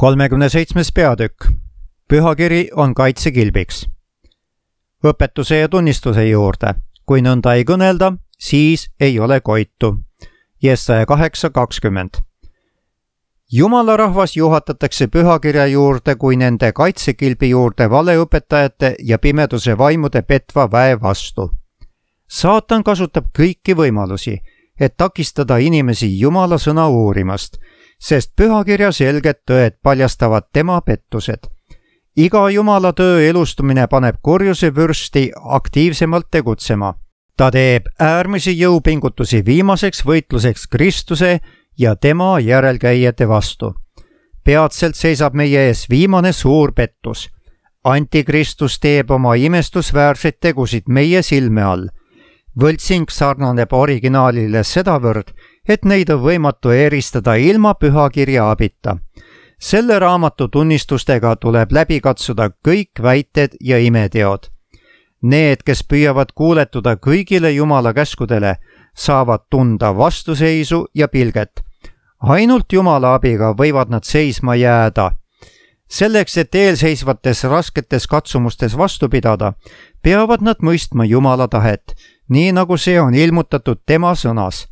37. peatükk. Pühakiri on kaitsekilbiks. Õpetuse ja tunnistuse juurde. Kui nõnda ei kõnelda, siis ei ole koitu. Jesaja 8:20. Jumala rahvas juhatatakse pühakirja juurde kui nende kaitsekilbi juurde valeõpetajate ja pimeduse vaimude petva väe vastu. Saatan kasutab kõiki võimalusi, et takistada inimesi Jumala sõna uurimast, sest pühakirja selged tõed paljastavad tema pettused. Iga Jumala töö elustumine paneb kurjuse vürsti aktiivsemalt tegutsema. Ta teeb äärmisi jõupingutusi viimaseks võitluseks Kristuse ja tema järelkäijate vastu. Peatselt seisab meie ees viimane suur pettus. Antikristus teeb oma imestusväärseid tegusid meie silme all. Võltsing sarnaneb originaalile sedavõrd, et neid on võimatu eristada ilma pühakirja abita. Selle raamatu tunnistustega tuleb läbi katsuda kõik väited ja imeteod. Need, kes püüavad kuuletuda kõigile Jumala käskudele, saavad tunda vastuseisu ja pilget. Ainult Jumala abiga võivad nad seisma jääda. Selleks, et eelseisvates rasketes katsumustes vastu pidada, peavad nad mõistma Jumala tahet, nii nagu see on ilmutatud tema sõnas.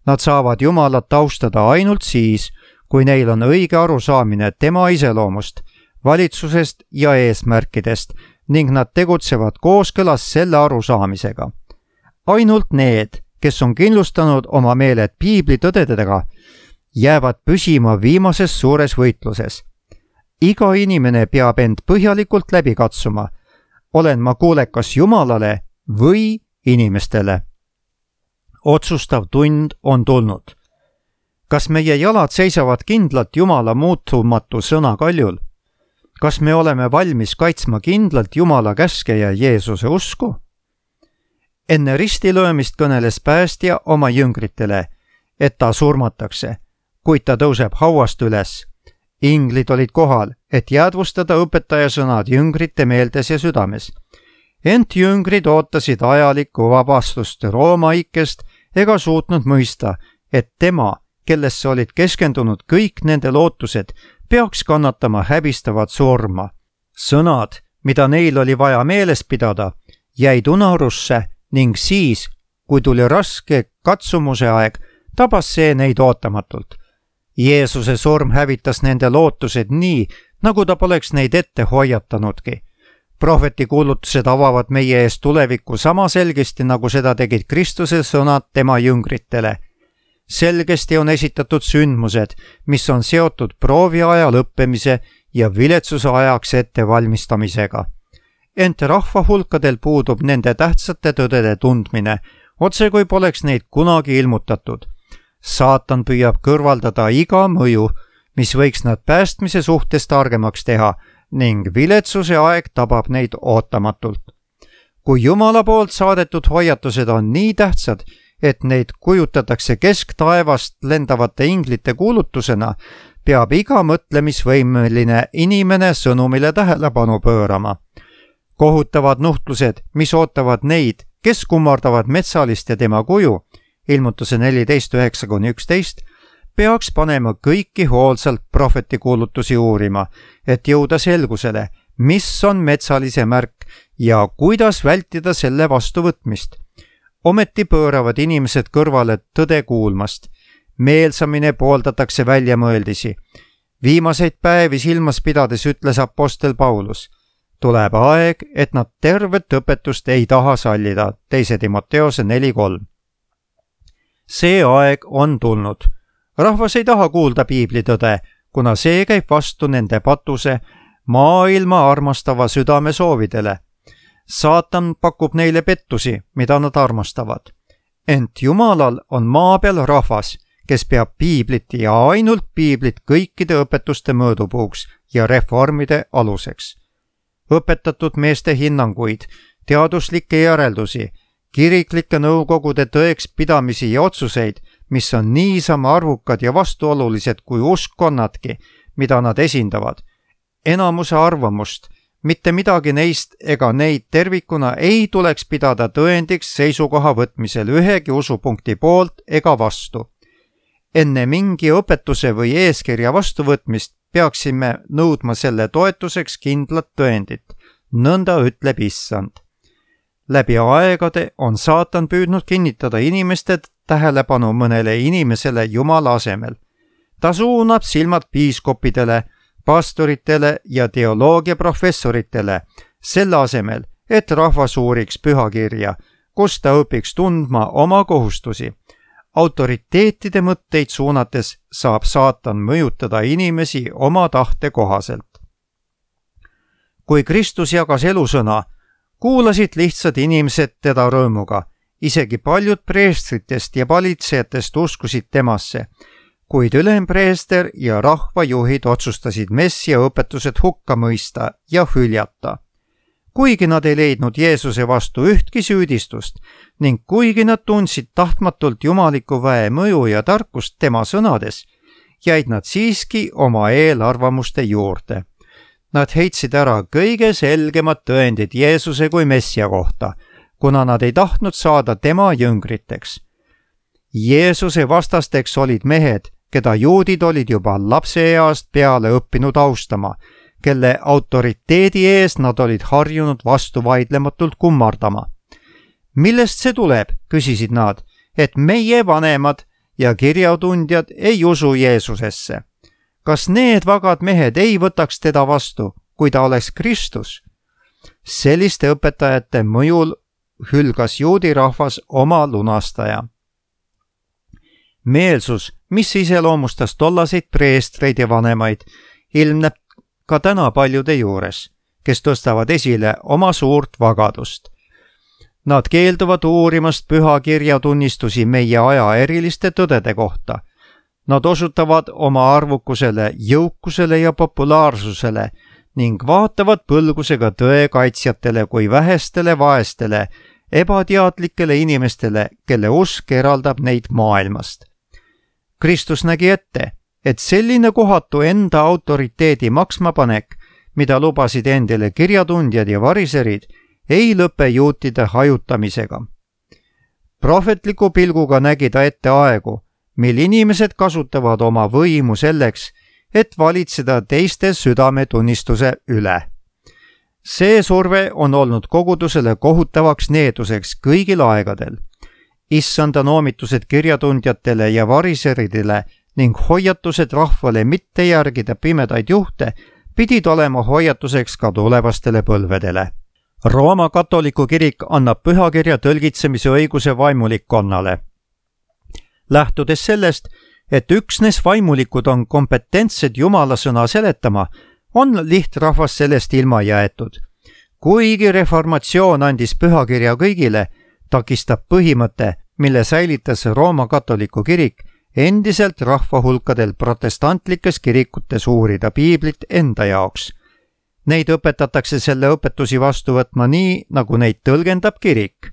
Nad saavad Jumalat austada ainult siis, kui neil on õige arusaamine tema iseloomust, valitsusest ja eesmärkidest ning nad tegutsevad kooskõlas selle arusaamisega. Ainult need, kes on kindlustanud oma meeled piibli tõdedega, jäävad püsima viimases suures võitluses. Iga inimene peab end põhjalikult läbi katsuma. Olen ma kuulekas Jumalale või inimestele? Otsustav tund on tulnud. Kas meie jalad seisavad kindlalt Jumala muutumatu sõna kaljul? Kas me oleme valmis kaitsma kindlalt Jumala käske ja Jeesuse usku? Enne ristilöömist kõneles päästja oma jüngritele, et ta surmatakse, kuid ta tõuseb hauast üles. Inglid olid kohal, et jäädvustada õpetaja sõnad jüngrite meeltes ja südames. Ent jüngrid ootasid ajalikku vabastust Rooma ikkest ega suutnud mõista, et tema, kellesse olid keskendunud kõik nende lootused, peaks kannatama häbistavat surma. Sõnad, mida neil oli vaja meeles pidada, jäid unarusse ning siis, kui tuli raske katsumuse aeg, tabas see neid ootamatult. Jeesuse surm hävitas nende lootused nii, nagu ta poleks neid ette hoiatanudki. Prohveti kuulutused avavad meie ees tulevikku sama selgesti, nagu seda tegid Kristuse sõnad tema jüngritele. Selgesti on esitatud sündmused, mis on seotud prooviaja lõppemise ja viletsuse ajaks ettevalmistamisega. Ent rahva hulkadel puudub nende tähtsate tõdede tundmine, otse kui poleks neid kunagi ilmutatud. Saatan püüab kõrvaldada iga mõju, mis võiks nad päästmise suhtes targemaks teha, ning viletsuse aeg tabab neid ootamatult. Kui Jumala poolt saadetud hoiatused on nii tähtsad, et neid kujutatakse kesktaevast lendavate inglite kuulutusena, peab iga mõtlemisvõimeline inimene sõnumile tähelepanu pöörama. Kohutavad nuhtlused, mis ootavad neid, kes kummardavad metsalist ja tema kuju, ilmutuse 14:9-11, peaks panema kõiki hoolsalt prohveti kuulutusi uurima, et jõuda selgusele, mis on metsalise märk ja kuidas vältida selle vastuvõtmist. Ometi pööravad inimesed kõrvale tõde kuulmast. Meelsamine pooldatakse väljamõeldisi. Viimaseid päevi silmas pidades ütles apostel Paulus: tuleb aeg, et nad tervet õpetust ei taha sallida. 2 Timoteose 4:3. See aeg on tulnud. Rahvas ei taha kuulda piiblitõde, kuna see käib vastu nende patuse, maailma armastava südame soovidele. Saatan pakub neile pettusi, mida nad armastavad. Ent Jumalal on maa peal rahvas, kes peab piiblit ja ainult piiblit kõikide õpetuste mõõdupuuks ja reformide aluseks. Õpetatud meeste hinnanguid, teaduslikke järeldusi, kiriklikke nõukogude tõeks pidamisi ja otsuseid, mis on niisama arvukad ja vastuolulised kui uskkonnadki, mida nad esindavad. Enamuse arvamust, mitte midagi neist ega neid tervikuna ei tuleks pidada tõendiks seisukoha võtmisel ühegi usupunkti poolt ega vastu. Enne mingi õpetuse või eeskirja vastuvõtmist peaksime nõudma selle toetuseks kindlat tõendit, nõnda ütleb Issand. Läbi aegade on saatan püüdnud kinnitada inimeste tähelepanu mõnele inimesele Jumala asemel. Ta suunab silmad piiskopidele, pastoritele ja teoloogiaprofessoritele, selle asemel, et rahvas uuriks pühakirja, kus ta õpiks tundma oma kohustusi. Autoriteetide mõtteid suunates saab saatan mõjutada inimesi oma tahte kohaselt. Kui Kristus jagas elusõna, kuulasid lihtsad inimesed teda rõõmuga, isegi paljud preestritest ja valitsejatest uskusid temasse, kuid ülempreester ja rahvajuhid otsustasid messia õpetused hukka mõista ja hüljata. Kuigi nad ei leidnud Jeesuse vastu ühtki süüdistust ning kuigi nad tundsid tahtmatult jumaliku väe mõju ja tarkust tema sõnades, jäid nad siiski oma eelarvamuste juurde. Nad heitsid ära kõige selgemad tõendid Jeesuse kui messia kohta, kuna nad ei tahtnud saada tema jüngriteks. Jeesuse vastasteks olid mehed, keda juudid olid juba lapseeast peale õppinud austama, kelle autoriteedi ees nad olid harjunud vastuvaidlematult kummardama. Millest see tuleb, küsisid nad, et meie vanemad ja kirjatundjad ei usu Jeesusesse? Kas need vagad mehed ei võtaks teda vastu, kui ta oleks Kristus? Selliste õpetajate mõjul hülgas juudi rahvas oma lunastaja. Meelsus, mis iseloomustas tollaseid preestreid ja vanemaid, ilmneb ka täna paljude juures, kes tõstavad esile oma suurt vagadust. Nad keelduvad uurimast pühakirja tunnistusi meie aja eriliste tõdede kohta. Nad osutavad oma arvukusele, jõukusele ja populaarsusele ning vaatavad põlgusega tõe kaitsjatele kui vähestele vaestele, ebateadlikele inimestele, kelle usk eraldab neid maailmast. Kristus nägi ette, et selline kohatu enda autoriteedi maksmapanek, mida lubasid endile kirjatundjad ja variserid, ei lõpe juutide hajutamisega. Prohvetliku pilguga nägi ta ette aegu, mil inimesed kasutavad oma võimu selleks, et valitseda teiste südametunnistuse üle. See surve on olnud kogudusele kohutavaks needuseks kõigil aegadel. Issanda noomitused kirjatundjatele ja variseridele ning hoiatused rahvale mitte järgida pimedaid juhte pidid olema hoiatuseks ka tulevastele põlvedele. Rooma katoliku kirik annab pühakirja tõlgitsemise õiguse vaimulikkonnale. Lähtudes sellest, et üksnes vaimulikud on kompetentsed Jumala sõna seletama, on lihtrahvas sellest ilma jäetud. Kuigi reformatsioon andis pühakirja kõigile, takistab põhimõte, mille säilitas Rooma katoliku kirik, endiselt rahvahulkadel protestantlikes kirikutes uurida piiblit enda jaoks. Neid õpetatakse selle õpetusi vastu võtma nii, nagu neid tõlgendab kirik.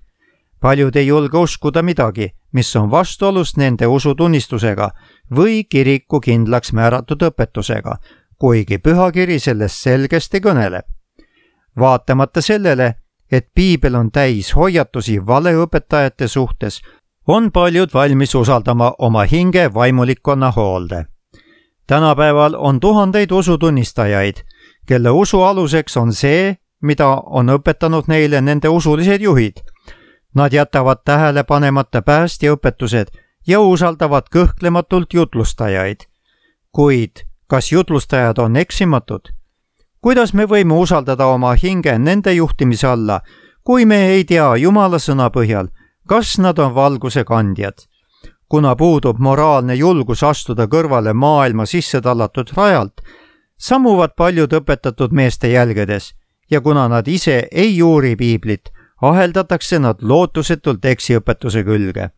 Paljud ei julge uskuda midagi, mis on vastuolus nende usutunnistusega või kiriku kindlaks määratud õpetusega, kuigi pühakiri sellest selgesti kõneleb. Vaatamata sellele, et piibel on täis hoiatusi valeõpetajate suhtes, on paljud valmis usaldama oma hinge vaimulikkonna hoolde. Tänapäeval on tuhandeid usutunnistajaid, kelle usu aluseks on see, mida on õpetanud neile nende usulised juhid. Nad jätavad tähele panemata päästjaõpetused ja usaldavad kõhklematult jutlustajaid. Kuid kas jutlustajad on eksimatud? Kuidas me võime usaldada oma hinge nende juhtimise alla, kui me ei tea Jumala sõna põhjal, kas nad on valguse kandjad? Kuna puudub moraalne julgus astuda kõrvale maailma sisse tallatud rajalt, sammuvad paljud õpetatud meeste jälgedes ja kuna nad ise ei uuri piiblit, aheldatakse nad lootusetult eksiõpetuse külge.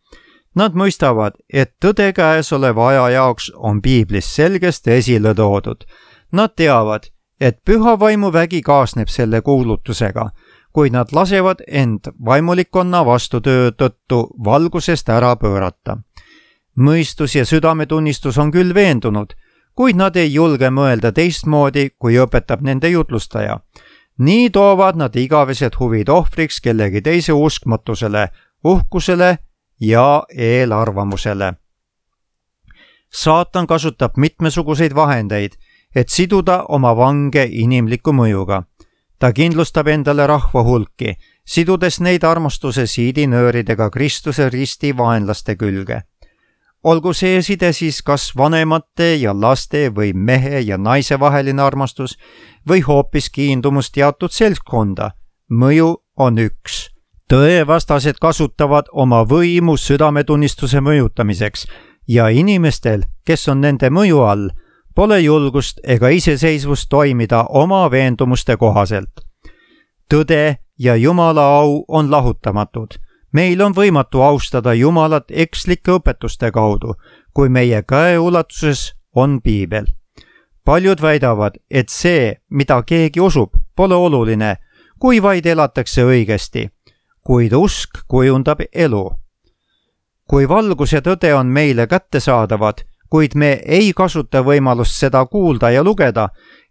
Nad mõistavad, et tõde käesoleva aja jaoks on piiblis selgesti esile toodud. Nad teavad, et püha vaimuvägi kaasneb selle kuulutusega, kuid nad lasevad end vaimulikkonna vastutöö tõttu valgusest ära pöörata. Mõistus ja südametunnistus on küll veendunud, kuid nad ei julge mõelda teistmoodi, kui õpetab nende jutlustaja. Nii toovad nad igavesed huvid ohvriks kellegi teise uskmatusele, uhkusele ja eelarvamusele. Saatan kasutab mitmesuguseid vahendeid, et siduda oma vange inimliku mõjuga. ta kindlustab endale rahva hulki, sidudes neid armastuse siidinööridega Kristuse risti vaenlaste külge. Olgu see side siis kas vanemate ja laste või mehe ja naise vaheline armastus või hoopis kiindumus teatud seltskonda, mõju on üks. Tõevastased kasutavad oma võimu südametunnistuse mõjutamiseks ja inimestel, kes on nende mõju all, pole julgust ega iseseisvust toimida oma veendumuste kohaselt. Tõde ja Jumala au on lahutamatud. Meil on võimatu austada Jumalat ekslike õpetuste kaudu, kui meie käeulatuses on piibel. Paljud väidavad, et see, mida keegi usub, pole oluline, kui vaid elatakse õigesti, kuid usk kujundab elu. Kui valgus ja tõde on meile kättesaadavad, kuid me ei kasuta võimalust seda kuulda ja lugeda,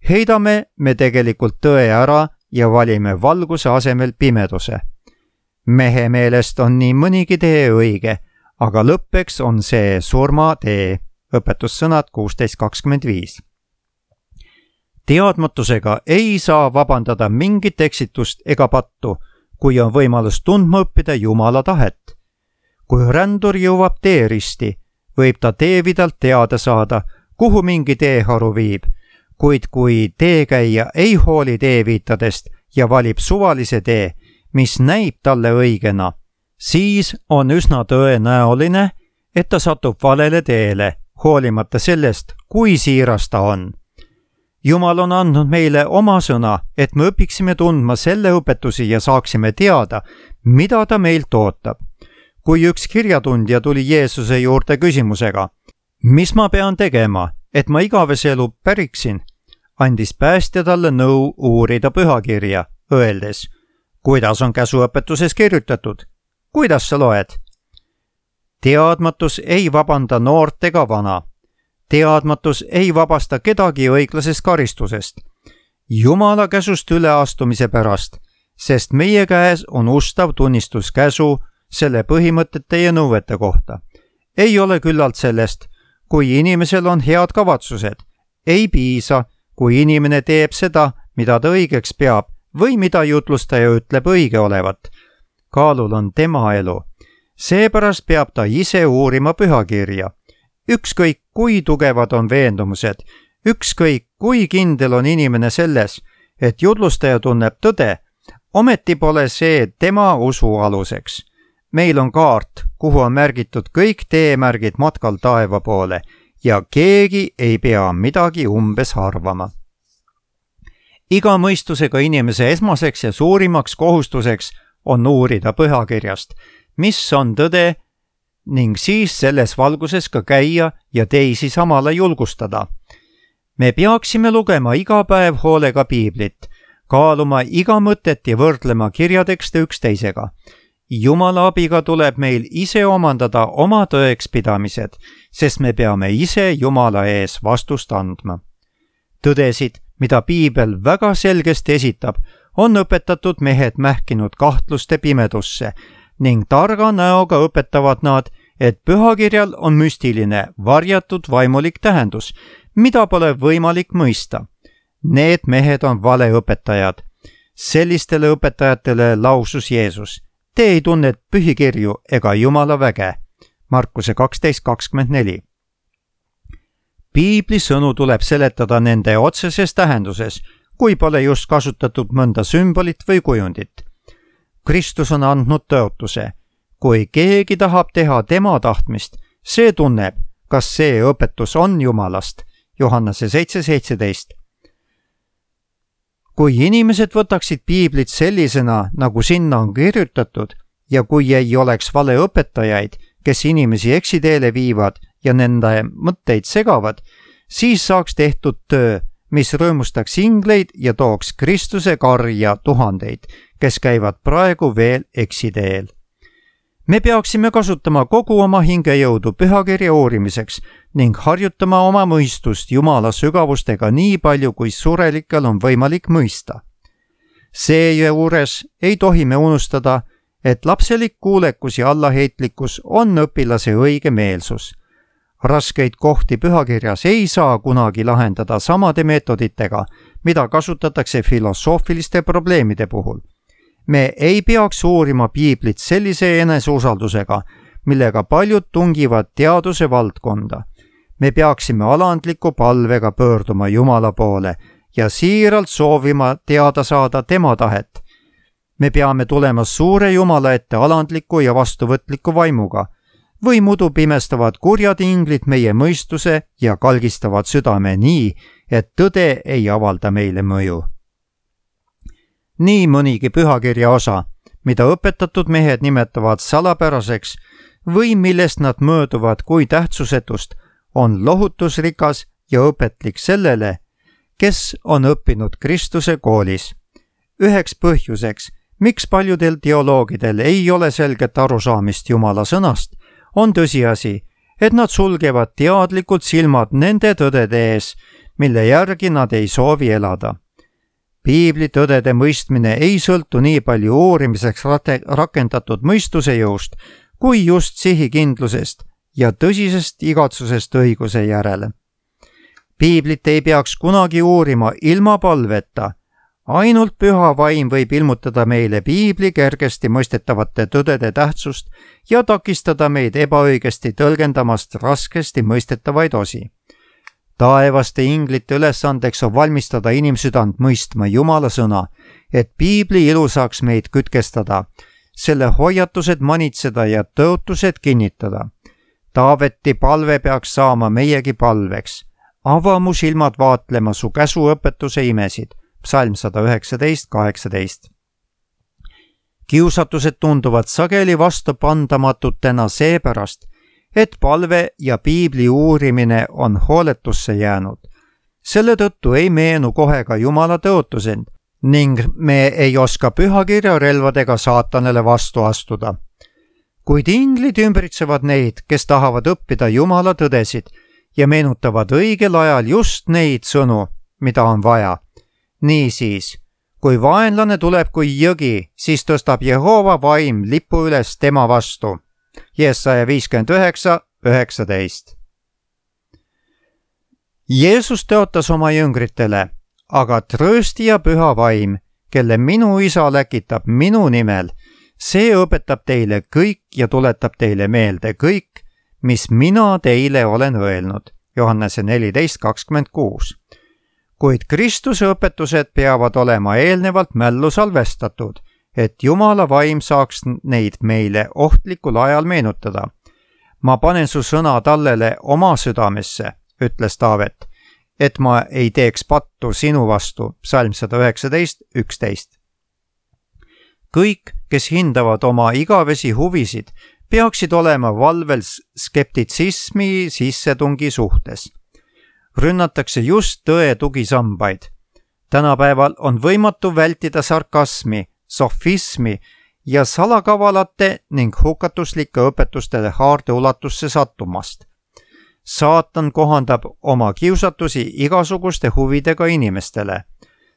heidame me tegelikult tõe ära ja valime valguse asemel pimeduse. Mehe meelest on nii mõnigi tee õige, aga lõppeks on see surmatee. Õpetussõnad 16:25. Teadmatusega ei saa vabandada mingit eksitust ega pattu, kui on võimalus tundma õppida Jumala tahet. Kui rändur jõuab teeristi, võib ta teevidalt teada saada, kuhu mingi teeharu viib, kuid kui teekäija ei hooli teeviitadest ja valib suvalise tee, mis näib talle õigena, siis on üsna tõenäoline, et ta satub valele teele, hoolimata sellest, kui siiras ta on. Jumal on andnud meile oma sõna, et me õpiksime tundma selle õpetusi ja saaksime teada, mida ta meilt ootab. Kui üks kirjatundja tuli Jeesuse juurde küsimusega, mis ma pean tegema, et ma igavese elu päriksin, andis päästja talle nõu uurida pühakirja, öeldes, kuidas on käsuõpetuses kirjutatud? Kuidas sa loed? Teadmatus ei vabanda noort ega vana. Teadmatus ei vabasta kedagi õiglasest karistusest. Jumala käsust üleastumise pärast, sest meie käes on ustav tunnistus käsu selle põhimõtete ja nõuete kohta. Ei ole küllalt sellest, kui inimesel on head kavatsused. Ei piisa, kui inimene teeb seda, mida ta õigeks peab, või mida jutlustaja ütleb õige olevat. Kaalul on tema elu. Seepärast peab ta ise uurima pühakirja. Ükskõik, kui tugevad on veendumused, ükskõik, kui kindel on inimene selles, et jutlustaja tunneb tõde, ometi pole see tema usu aluseks. Meil on kaart, kuhu on märgitud kõik teemärgid matkal taeva poole ja keegi ei pea midagi umbes arvama. Iga mõistusega inimese esmaseks ja suurimaks kohustuseks on uurida pühakirjast, mis on tõde, ning siis selles valguses ka käia ja teisi samale julgustada. Me peaksime lugema iga päev hoolega piiblit, kaaluma iga mõtet ja võrdlema kirjatekste üksteisega. Jumala abiga tuleb meil ise omandada oma tõekspidamised, sest me peame ise Jumala ees vastust andma. Tõdesid, mida piibel väga selgesti esitab, on õpetatud mehed mähkinud kahtluste pimedusse ning targa näoga õpetavad nad, et pühakirjal on müstiline, varjatud vaimulik tähendus, mida pole võimalik mõista. Need mehed on valeõpetajad. Sellistele õpetajatele lausus Jeesus, te ei tunne pühikirju ega Jumala väge. Markuse 12:24. Piibli sõnu tuleb seletada nende otseses tähenduses, kui pole just kasutatud mõnda sümbolit või kujundit. Kristus on andnud tõotuse. Kui keegi tahab teha tema tahtmist, see tunneb, kas see õpetus on Jumalast. Johannese 7:17. Kui inimesed võtaksid piiblit sellisena, nagu sinna on kirjutatud, ja kui ei oleks valeõpetajaid, kes inimesi eksiteele viivad ja nende mõtteid segavad, siis saaks tehtud töö, mis rõõmustaks ingleid ja tooks Kristuse karja tuhandeid, kes käivad praegu veel eksiteel. Me peaksime kasutama kogu oma hingejõudu pühakirja uurimiseks ning harjutama oma mõistust Jumala sügavustega nii palju, kui surelikel on võimalik mõista. Seejuures ei tohi me unustada, et lapselik kuulekus ja allaheitlikkus on õpilase õige meelsus. Raskeid kohti pühakirjas ei saa kunagi lahendada samade meetoditega, mida kasutatakse filosoofiliste probleemide puhul. Me ei peaks uurima piiblit sellise eneseusaldusega, millega paljud tungivad teaduse valdkonda. Me peaksime alandliku palvega pöörduma Jumala poole ja siiralt soovima teada saada tema tahet. Me peame tulema suure Jumala ette alandliku ja vastuvõtliku vaimuga, või muidu pimestavad kurjad inglid meie mõistuse ja kalgistavad südame nii, et tõde ei avalda meile mõju. Nii mõnigi pühakirja osa, mida õpetatud mehed nimetavad salapäraseks või millest nad mööduvad kui tähtsusetust, on lohutusrikas ja õpetlik sellele, kes on õppinud Kristuse koolis. Üheks põhjuseks, miks paljudel teoloogidel ei ole selget arusaamist Jumala sõnast, on tõsiasi, et nad sulgevad teadlikult silmad nende tõdede ees, mille järgi nad ei soovi elada. Piibli tõdede mõistmine ei sõltu nii palju uurimiseks rakendatud mõistuse jõust, kui just sihikindlusest ja tõsisest igatsusest õiguse järele. Piiblit ei peaks kunagi uurima ilma palveta. Ainult püha vaim võib ilmutada meile piibli kergesti mõistetavate tõdede tähtsust ja takistada meid ebaõigesti tõlgendamast raskesti mõistetavaid osi. Taevaste inglite ülesandeks on valmistada inimsüdant mõistma Jumala sõna, et piibli ilu saaks meid kütkestada, selle hoiatused manitseda ja tõotused kinnitada. Taaveti palve peaks saama meiegi palveks. Ava mu silmad vaatlema su käsuõpetuse imesid. Psalm 119:18. Kiusatused tunduvad sageli vastupandamatutena seepärast, et palve ja piibli uurimine on hooletusse jäänud. Selle tõttu ei meenu kohe ka Jumala tõotused ning me ei oska pühakirja relvadega saatanale vastu astuda. Kuid inglid ümbritsevad neid, kes tahavad õppida Jumala tõdesid ja meenutavad õigel ajal just neid sõnu, mida on vaja. Niisiis, kui vaenlane tuleb kui jõgi, siis tõstab Jehova vaim lipu üles tema vastu. Jesaja 59:19. Jeesus tõotas oma jüngritele, aga trööstija püha vaim, kelle minu isa läkitab minu nimel, see õpetab teile kõik ja tuletab teile meelde kõik, mis mina teile olen öelnud. Johannese 14:26. Kuid Kristuse õpetused peavad olema eelnevalt mällu salvestatud, et Jumala vaim saaks neid meile ohtlikul ajal meenutada. Ma panen su sõna tallele oma südamesse, ütles Taavet, et ma ei teeks pattu sinu vastu. Psalm 119:11. Kõik, kes hindavad oma igavesi huvisid, peaksid olema valvel skeptitsismi sissetungi suhtes. Rünnatakse just tõe tugisambaid. Tänapäeval on võimatu vältida sarkasmi, sofismi ja salakavalate ning hukatuslike õpetuste haardeulatusse sattumast. Saatan kohandab oma kiusatusi igasuguste huvidega inimestele.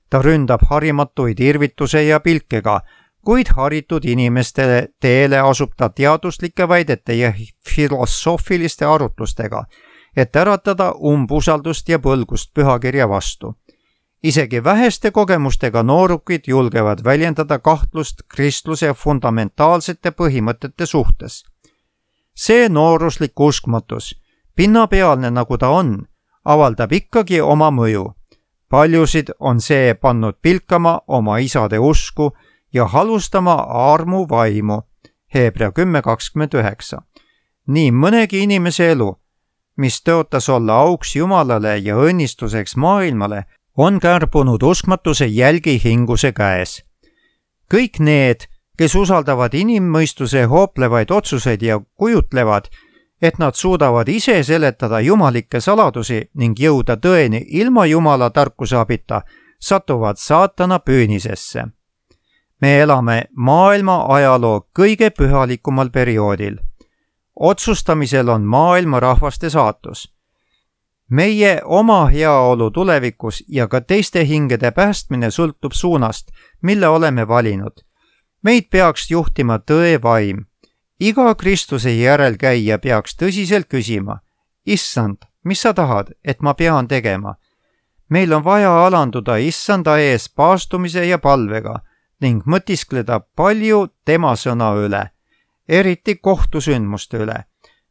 Ta ründab harimatuid irvituse ja pilkega, kuid haritud inimeste teele asub ta teaduslike väidete ja filosoofiliste arutlustega, et äratada umbusaldust ja põlgust pühakirja vastu. Isegi väheste kogemustega noorukid julgevad väljendada kahtlust kristluse fundamentaalsete põhimõtete suhtes. See nooruslik uskmatus, pinnapealne nagu ta on, avaldab ikkagi oma mõju. Paljusid on see pannud pilkama oma isade usku ja halustama armu vaimu. Hebra 10:29. Nii mõnegi inimese elu, mis tõotas olla auks Jumalale ja õnnistuseks maailmale, on kärbunud uskmatuse jälgihinguse käes. Kõik need, kes usaldavad inimmõistuse hooplevaid otsuseid ja kujutlevad, et nad suudavad ise seletada jumalikke saladusi ning jõuda tõeni ilma Jumala tarkuse abita, satuvad saatana püünisesse. Me elame maailma ajaloo kõige pühalikumal perioodil. Otsustamisel on maailma rahvaste saatus. Meie oma heaolu tulevikus ja ka teiste hingede päästmine sõltub suunast, mille oleme valinud. Meid peaks juhtima tõe vaim. Iga Kristuse järelkäija peaks tõsiselt küsima, issand, mis sa tahad, et ma pean tegema? Meil on vaja alanduda issanda ees paastumise ja palvega ning mõtiskleda palju tema sõna üle, eriti kohtusündmuste üle.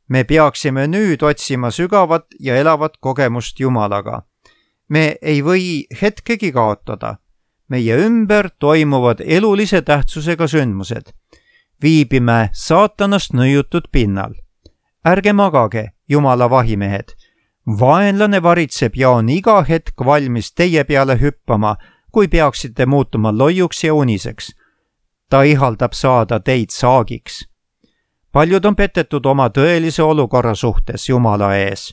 Me peaksime nüüd otsima sügavat ja elavat kogemust Jumalaga. Me ei või hetkegi kaotada. Meie ümber toimuvad elulise tähtsusega sündmused. Viibime saatanast nõiutud pinnal. Ärge magage, Jumala vahimehed. Vaenlane varitseb ja on iga hetk valmis teie peale hüppama, kui peaksite muutuma loiuks ja uniseks. Ta ihaldab saada teid saagiks. Paljud on petetud oma tõelise olukorra suhtes Jumala ees.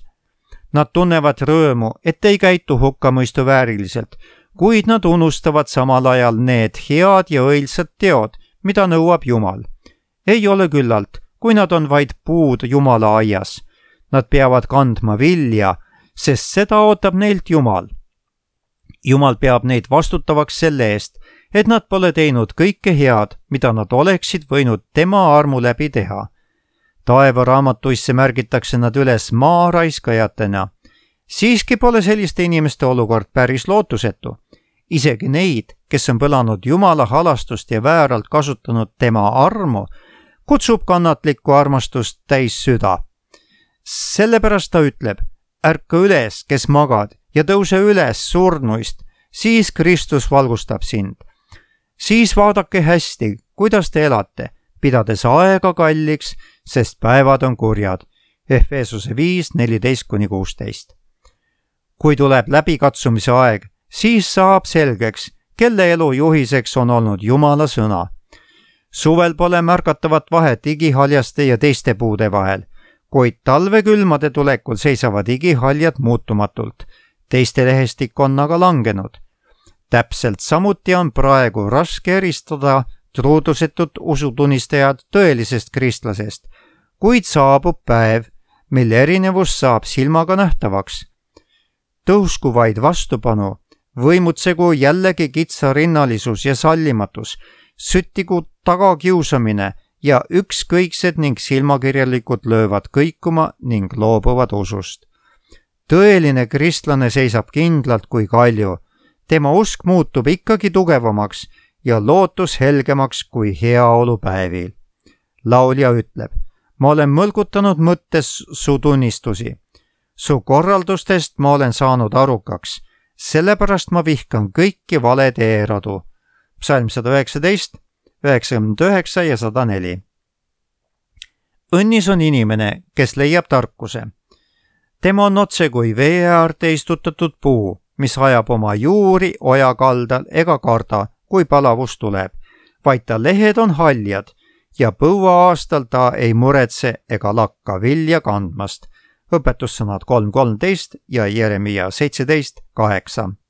Nad tunnevad rõõmu, et ei käitu hukkamõistu vääriliselt, kuid nad unustavad samal ajal need head ja õilsad teod, mida nõuab Jumal. Ei ole küllalt, kui nad on vaid puud Jumala aias. Nad peavad kandma vilja, sest seda ootab neilt Jumal. Jumal peab neid vastutavaks selle eest, et nad pole teinud kõike head, mida nad oleksid võinud tema armu läbi teha. Taevaraamatuisse märgitakse nad üles maaraiskajatena. Siiski pole selliste inimeste olukord päris lootusetu. Isegi neid, kes on põlanud Jumala halastust ja vääralt kasutanud tema armu, kutsub kannatlikku armastust täis süda. Sellepärast ta ütleb, ärka üles, kes magad, ja tõuse üles surnuist, siis Kristus valgustab sind. Siis vaadake hästi, kuidas te elate, pidades aega kalliks, sest päevad on kurjad. Efesuse 5:14-16. Kui tuleb läbikatsumise aeg, siis saab selgeks, kelle elu juhiseks on olnud Jumala sõna. Suvel pole märgatavat vahet igihaljaste ja teiste puude vahel, kuid talvekülmade tulekul seisavad igihaljad muutumatult. Teiste lehestik on aga langenud. Täpselt samuti on praegu raske eristada truudusetut usutunnistajad tõelisest kristlasest, kuid saabub päev, mil erinevus saab silmaga nähtavaks. Tõusku vaid vastupanu, võimutsegu jällegi kitsarinnalisus ja sallimatus, süttigu tagakiusamine ja ükskõiksed ning silmakirjalikud löövad kõikuma ning loobuvad usust. Tõeline kristlane seisab kindlalt kui kalju. Tema usk muutub ikkagi tugevamaks ja lootus helgemaks kui heaolupäevil. Laulja ütleb, ma olen mõlgutanud mõttes su tunnistusi. Su korraldustest ma olen saanud arukaks, sellepärast ma vihkan kõiki valed eeradu. Psalm 119, 99 ja 104. Õnnis on inimene, kes leiab tarkuse. Tema on otse kui vee äärde istutatud puu, mis ajab oma juuri oja kaldal ega karda, kui palavus tuleb, vaid ta lehed on haljad ja põuaastal ta ei muretse ega lakka vilja kandmast. Õpetussõnad 3.13 ja Jeremia 17.8.